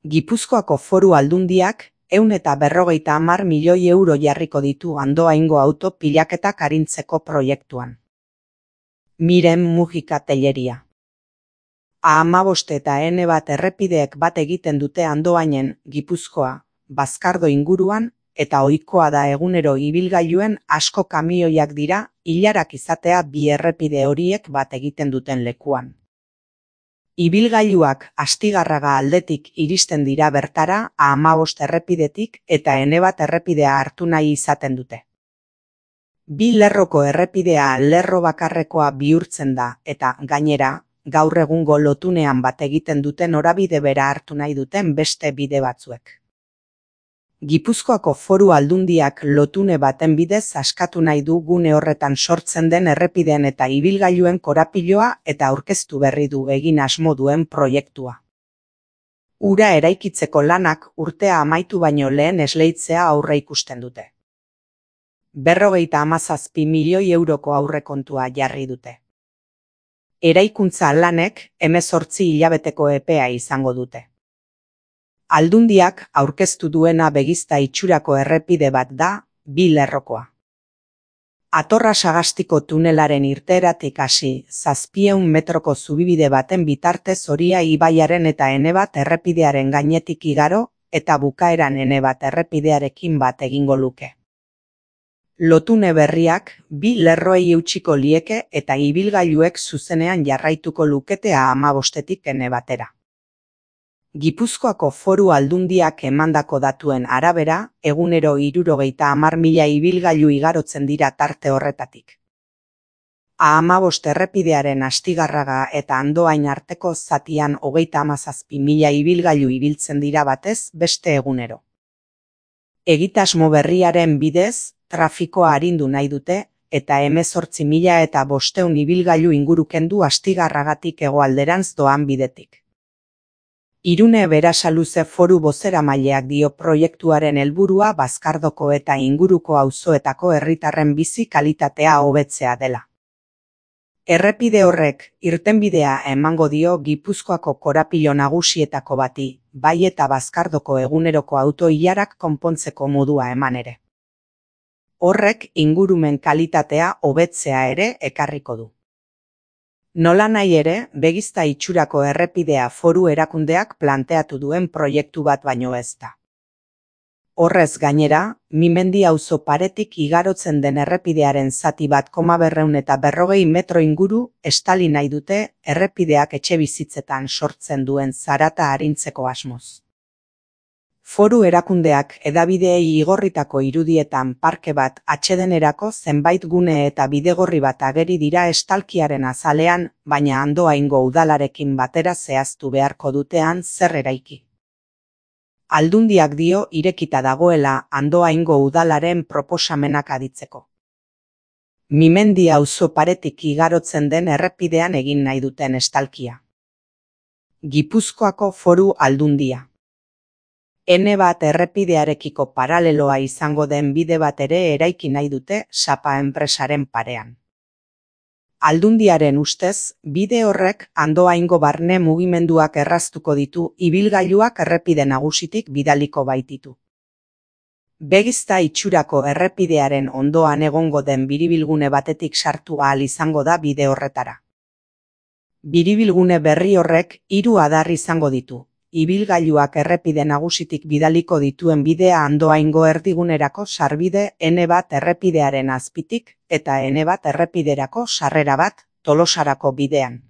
Gipuzkoako Foru Aldundiak 150 milioi euro jarriko ditu Andoaingo auto pilaketak arintzeko proiektuan. Miren Mujika Telleria. A15 eta N1 errepideek bat egiten dute Andoainen, Gipuzkoa, Bazkardo inguruan, eta ohikoa da egunero ibilgailuen asko kamioiak dira ilarak izatea bi errepide horiek bat egiten duten lekuan. Ibilgailuak Astigarraga aldetik iristen dira bertara A15 errepidetik eta N1 errepidea hartu nahi izaten dute. Bi lerroko errepidea lerro bakarrekoa bihurtzen da eta gainera, gaur egungo lotunean bat egiten duten norabide bera hartu nahi duten beste bide batzuek. Gipuzkoako Foru Aldundiak lotune baten bidez askatu nahi du gune horretan sortzen den errepideen eta ibilgailuen korapiloa eta aurkeztu berri du egin asmo duen proiektua. Ura eraikitzeko lanak urtea amaitu baino lehen esleitzea aurreikusten dute. 57 milioi euroko aurrekontua jarri dute. Eraikuntza lanek 18 hilabeteko epea izango dute. Aldundiak aurkeztu duena begizta itxurako errepide bat da, bi lerrokoa. Atorra Sagastiko tunelaren irteeratik hasi 700 metroko zubibide baten bitartez Oria ibaiaren eta N1 errepidearen gainetik igaro eta bukaeran N1 errepidearekin bat egingo luke. Lotune berriak bi lerroei eutsiko lieke eta ibilgailuek zuzenean jarraituko lukete A15tik N1era. Gipuzkoako Foru Aldundiak emandako datuen arabera, egunero 70.000 ibilgailu igarotzen dira tarte horretatik. A15 errepidearen Astigarraga eta Andoain arteko zatian 37.000 ibilgailu ibiltzen dira batez beste egunero. Egitasmo berriaren bidez, trafikoa arindu nahi dute, eta 18.500 ibilgailu inguru kendu Astigarragatik hegoalderantz doan bidetik. Irune Berasaluze Foru bozeramaileak dio proiektuaren helburua Bazkardoko eta inguruko auzoetako herritarren bizi kalitatea hobetzea dela. Errepide horrek irtenbidea emango dio Gipuzkoako korapilo nagusietako bati, bai eta Bazkardoko eguneroko auto-ilarak konpontzeko modua eman ere. Horrek ingurumen kalitatea hobetzea ere ekarriko du. Nola nahi ere, begizta itxurako errepidea Foru erakundeak planteatu duen proiektu bat baino ez da. Horrez gainera, Mimendi auzo paretik igarotzen den errepidearen zati bat 240 metro inguru estali nahi dute errepideak etxebizitzetan sortzen duen zarata arintzeko asmoz. Foru erakundeak hedabideei igorritako irudietan parke bat atsedenerako zenbait gune eta bidegorri bat ageri dira estalkiaren azalean, baina Andoaingo udalarekin batera zehaztu beharko dutean zer eraiki. Aldundiak dio irekita dagoela Andoaingo udalaren proposamenak aditzeko. Mimendi auzo paretik igarotzen den errepidean egin nahi duten estalkia. Gipuzkoako Foru Aldundia. N1 errepidearekiko paraleloa izango den bide bat ere eraiki nahi dute Sapa enpresaren parean. Aldundiaren ustez, bide horrek Andoaingo barne mugimenduak erraztuko ditu ibilgailuak errepide nagusitik bidaliko baititu. Begizta itxurako errepidearen ondoan egongo den biribilgune batetik sartu ahal izango da bide horretara. Biribilgune berri horrek 3 adar izango ditu. Ibilgailuak errepide nagusitik bidaliko dituen bidea Andoaingo erdigunerako sarbide N1 errepidearen azpitik eta N1 errepiderako sarrera bat Tolosarako bidean.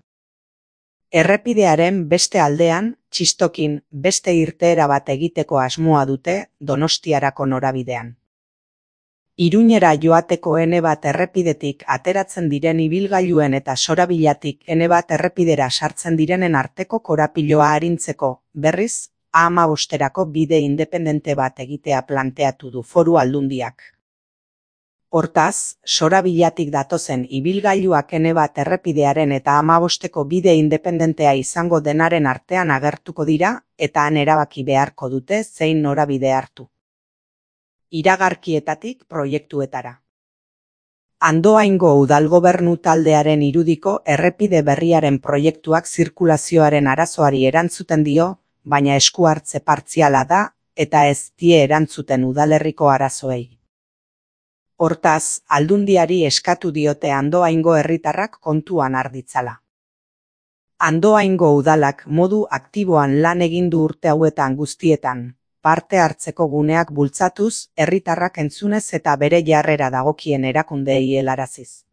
Errepidearen beste aldean, txistokin beste irteera bat egiteko asmoa dute Donostiarako norabidean. Iruñera joateko N1 errepidetik ateratzen diren ibilgailuen eta sorabilatik N1 errepidera sartzen direnen arteko korapiloa arintzeko, berriz, A15erako bide independente bat egitea planteatu du Foru Aldundiak. Hortaz, sorabilatik datozen ibilgailuak N1 errepidearen eta A15eko bide independentea izango denaren artean agertuko dira eta han erabaki beharko dute zein norabide hartu. Iragarkietatik proiektuetara. Andoaingo udalgobernu taldearen irudiko errepide berriaren proiektuak zirkulazioaren arazoari erantzuten dio, baina esku hartze partziala da eta ez die erantzuten udalerriko arazoei. Hortaz, Aldundiari eskatu diote Andoaingo herritarrak kontuan har ditzala. Andoaingo udalak modu aktiboan lan egin du urte hauetan guztietan, parte hartzeko guneak bultzatuz, herritarrak entzunez eta bere jarrera dagokien erakundeei helaraziz.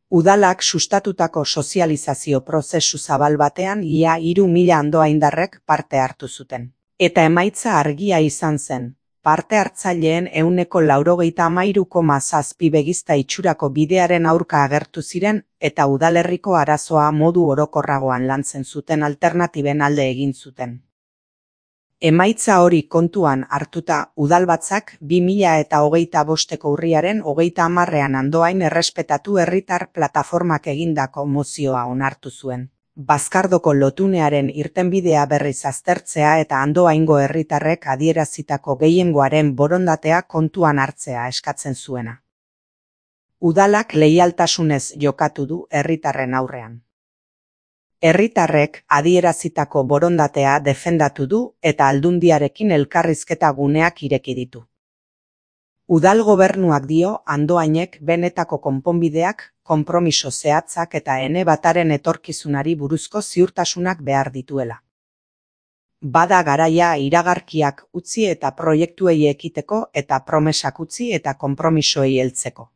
Udalak sustatutako sozializazio prozesu zabal batean ia 3.000 andoaindarrek parte hartu zuten. Eta emaitza argia izan zen. Parte hartzaileen 93,7 begizta itxurako bidearen aurka agertu ziren eta udalerriko arazoa modu orokorragoan lantzen zuten alternatiben alde egin zuten. Emaitza hori kontuan hartuta, udalbatzak 2025ko urriaren 30ean Andoain errespetatu herritar plataformak egindako mozioa onartu zuen. Bazkardoko lotunearen irtenbidea berriz aztertzea eta Andoaingo herritarrek adierazitako gehiengoaren borondatea kontuan hartzea eskatzen zuena. Udalak leialtasunez jokatu du herritarren aurrean. Herritarrek adierazitako borondatea defendatu du eta Aldundiarekin elkarrizketa guneak ireki ditu. Udal gobernuak dio Andoainek benetako konponbideak, konpromiso zehatzak eta ene bataren etorkizunari buruzko ziurtasunak behar dituela. Bada garaia iragarkiak utzi eta proiektuei ekiteko eta promesak utzi eta konpromisoei heltzeko.